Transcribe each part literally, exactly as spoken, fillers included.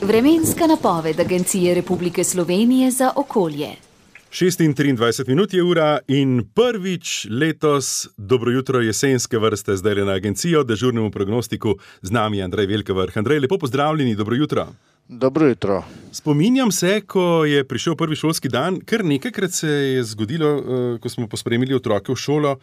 Vremenska napoved Agencije Republike Slovenije za okolje. šest in triindvajset minut je ura in prvič letos dobro jutro jesenske vrste zdaj na agencijo, dežurnemu prognostiku z nami Andrej Velkevrh. Andrej, lepo pozdravljeni, dobro jutro. Dobro jutro. Spominjam se, ko je prišel prvi šolski dan, kar nekajkrat se je zgodilo, ko smo pospremili otroke v šolo,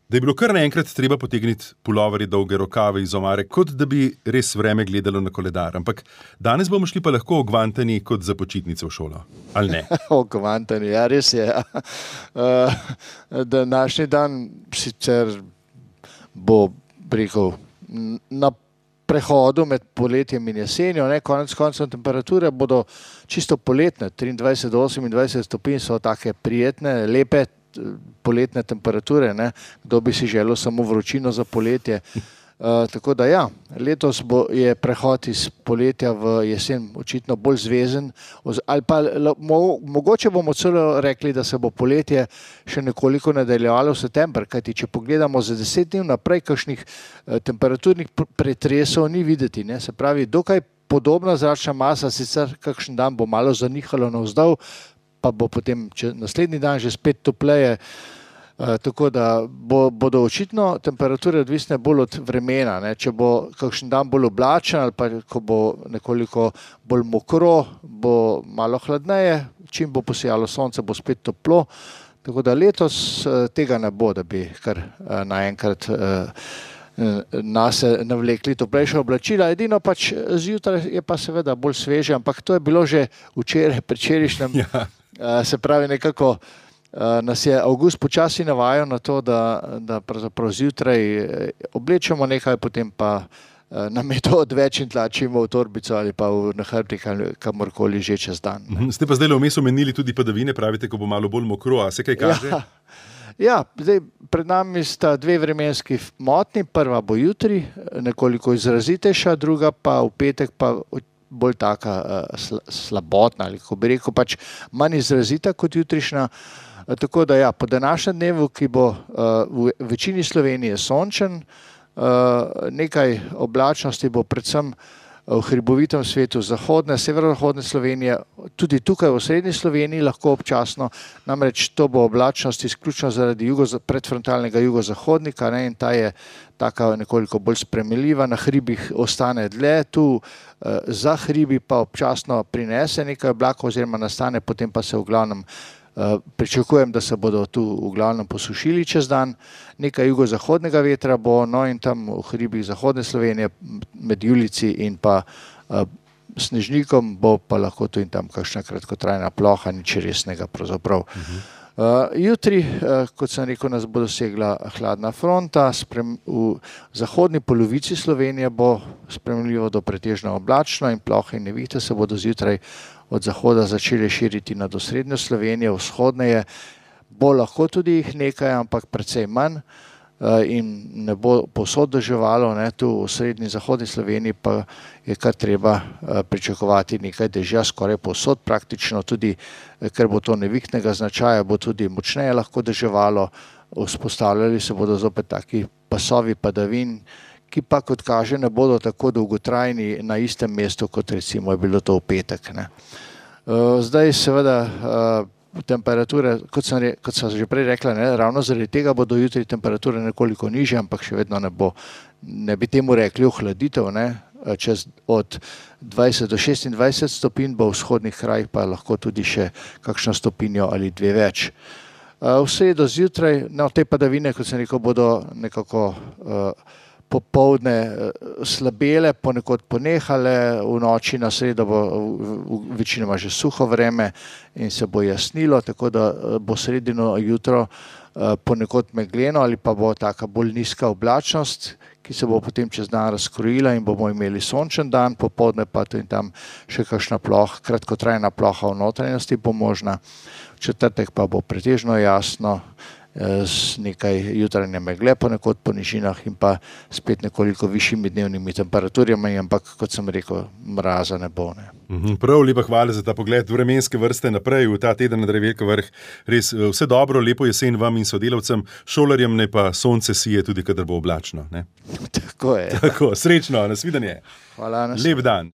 da je bilo kar naenkrat treba potegniti puloverje, dolge rokave iz omare, kot da bi res vreme gledalo na koledar. Ampak danes bomo šli pa lahko ogvantani kot za počitnice v šolo, ali ne? Ogvantani, ja, res je. Ja. Uh, današnji dan sicer bo, rekel, na prehodu med poletjem in jesenjo, ne, konec koncem temperature bodo čisto poletne, triindvajset do osemindvajset stopinj so take prijetne, lepe, poletne temperature, ne? Kdo bi si želel samo vročino za poletje. Uh, tako da ja, letos bo, je prehod iz poletja v jesen očitno bolj zvezen, ali pa mo, mogoče bomo celo rekli, da se bo poletje še nekoliko nadaljevalo v september, kajti če pogledamo za deset dni naprej, kakšnih uh, temperaturnih pretresov ni videti, ne? Se pravi, dokaj podobna zračna masa, sicer kakšen dan bo malo zanihalo navzdol, pa bo potem naslednji dan že spet topleje, uh, tako da bo, bodo očitno temperature odvisne bolj od vremena, ne? Če bo kakšen dan bolj oblačen ali pa ko bo nekoliko bolj mokro, bo malo hladneje, čim bo posijalo sonce, bo spet toplo, tako da letos uh, tega ne bo, da bi kar uh, naenkrat uh, nase navlekli toplejša oblačila, edino pač zjutraj je pa seveda bolj sveže, ampak to je bilo že včeraj, predvčerajšnjem. Ja. Se pravi, nekako nas je avgust počasi navajal na to, da, da pravzaprav zjutraj oblečemo nekaj, potem pa nam je to odveč in tlačimo v torbico ali pa v nahrbtnik ali kamorkoli že čez dan. Ne? Ste pa zdaj vmes omenili tudi padavine, pravite, ko bo malo bolj mokro, a se kaj kaže? Ja. Ja, zdaj pred nami sta dve vremenski motnji, prva bo jutri, nekoliko izrazitejša, druga pa v petek pa bolj taka uh, slabotna, ali kako bi rekel, pač manj izrazita kot jutrišnja. Uh, tako da ja, po današnjem dnevu, ki bo uh, v večini Slovenije sončen, uh, nekaj oblačnosti bo predvsem v hribovitem svetu zahodne, severozahodne Slovenije, tudi tukaj v srednji Sloveniji lahko občasno, namreč to bo oblačnost izključno zaradi jugo, predfrontalnega jugozahodnika, ne, in ta je taka nekoliko bolj sprejemljiva, na hribih ostane dlje, tu eh, za hribi pa občasno prinese nekaj oblakov oziroma nastane, potem pa se v glavnem Uh, pričakujem, da se bodo tu v glavnem posušili čez dan, nekaj jugozahodnega vetra bo, no in tam v hribih zahodne Slovenije med Julici in pa uh, Snežnikom bo pa lahko tu in tam kakšna kratkotrajna ploha, nič resnega pravzaprav. Uh-huh. Uh, jutri, uh, kot sem rekel, nas bo dosegla hladna fronta, sprem, v zahodni polovici Slovenije bo spremljivo do pretežno oblačno in plohe in nevihte se bodo zjutraj od zahoda začeli širiti nad osrednjo Slovenijo, vzhodneje bo lahko tudi jih nekaj, ampak precej manj in ne bo povsod deževalo, ne, tu v srednji zahodni Sloveniji pa je kar treba pričakovati nekaj dežja, skoraj povsod praktično, tudi ker bo to nevihtnega značaja, bo tudi močneje lahko deževalo, vzpostavljali se bodo zopet taki pasovi padavin, ki pa, kot kaže, ne bodo tako dolgotrajni na istem mestu, kot recimo je bilo to v petek. Ne. Zdaj seveda temperature, kot sem, re, kot sem že prej rekla, ne, ravno zaradi tega bodo jutri temperature nekoliko nižje, ampak še vedno ne bo, ne bi temu rekli ohladitev, ne, čez od dvajset do šestindvajset stopinj bo v vzhodnih krajih pa lahko tudi še kakšno stopinjo ali dve več. V sredo zjutraj, no, te padavine, kot sem rekel, bodo nekako uh, popoldne slabele, ponekod ponehale, v noči na sredo bo večinoma že suho vreme in se bo jasnilo, tako da bo sredino jutro ponekod megleno ali pa bo taka bolj nizka oblačnost, ki se bo potem čez dan razkrojila in bomo imeli sončen dan, popoldne pa tu in tam še kakšna ploha, kratkotrajna ploha v notranjosti bo možna, v četrtek pa bo pretežno jasno z nekaj jutranje megle ponekod po nižinah in pa spet nekoliko višjimi dnevnimi temperaturami, ampak kot sem rekel, mraza ne bo. Ne. Prav lepa hvala za ta pogled vremenske vrste naprej v ta teden na Dreveljko vrh. Res vse dobro, lepo jesen vam in sodelavcem, šolarjem ne pa sonce sije tudi, kadar bo oblačno. Ne? Tako je. Tako, srečno, nasvidenje. Hvala. Lep dan.